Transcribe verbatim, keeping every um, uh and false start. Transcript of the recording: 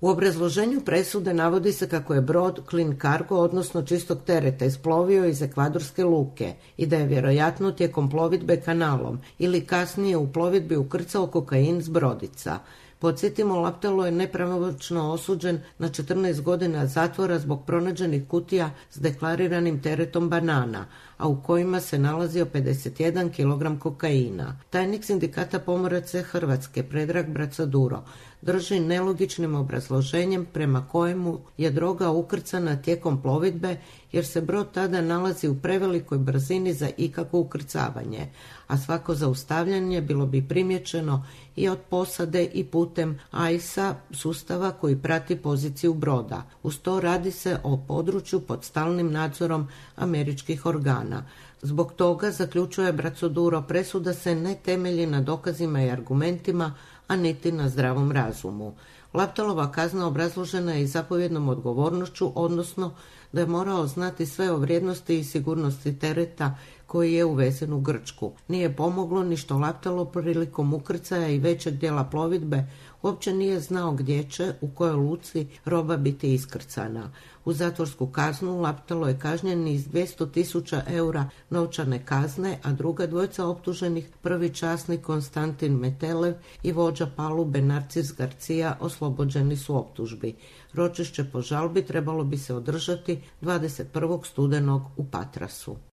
U obrazloženju presude navodi se kako je brod Clean Cargo, odnosno čistog tereta, isplovio iz ekvadorske luke i da je vjerojatno tijekom plovidbe kanalom ili kasnije u plovidbi ukrcao kokain s brodica. Podsjetimo, Laptalo je nepravomoćno osuđen na četrnaest godina zatvora zbog pronađenih kutija s deklariranim teretom banana, a u kojima se nalazio pedeset jedan kilogram kokaina. Tajnik Sindikata pomoraca Hrvatske, Predrag Bracaduro, drži nelogičnim obrazloženjem prema kojemu je droga ukrcana tijekom plovidbe jer se brod tada nalazi u prevelikoj brzini za ikakvo ukrcavanje, a svako zaustavljanje bilo bi primjećeno i od posade i putem A I S A sustava koji prati poziciju broda. Uz to radi se o području pod stalnim nadzorom američkih organa. Zbog toga, zaključuje Bracaduro, presuda se ne temelji na dokazima i argumentima, a niti na zdravom razumu. Laptalova kazna obrazložena je i zapovjednom odgovornošću, odnosno da je morao znati sve o vrijednosti i sigurnosti tereta koji je uvezen u Grčku. Nije pomoglo ni što Laptalo prilikom ukrcaja i većeg dijela plovidbe uopće nije znao gdje će, u kojoj luci roba biti iskrcana. U zatvorsku kaznu Laptalo je kažnjen iz dvjesto tisuća eura novčane kazne, a druga dvojica optuženih, prvi časnik Konstantin Metelev i vođa palube Narcis Garcia, oslobođeni su optužbi. Ročišće po žalbi trebalo bi se održati dvadeset prvog studenog u Patrasu.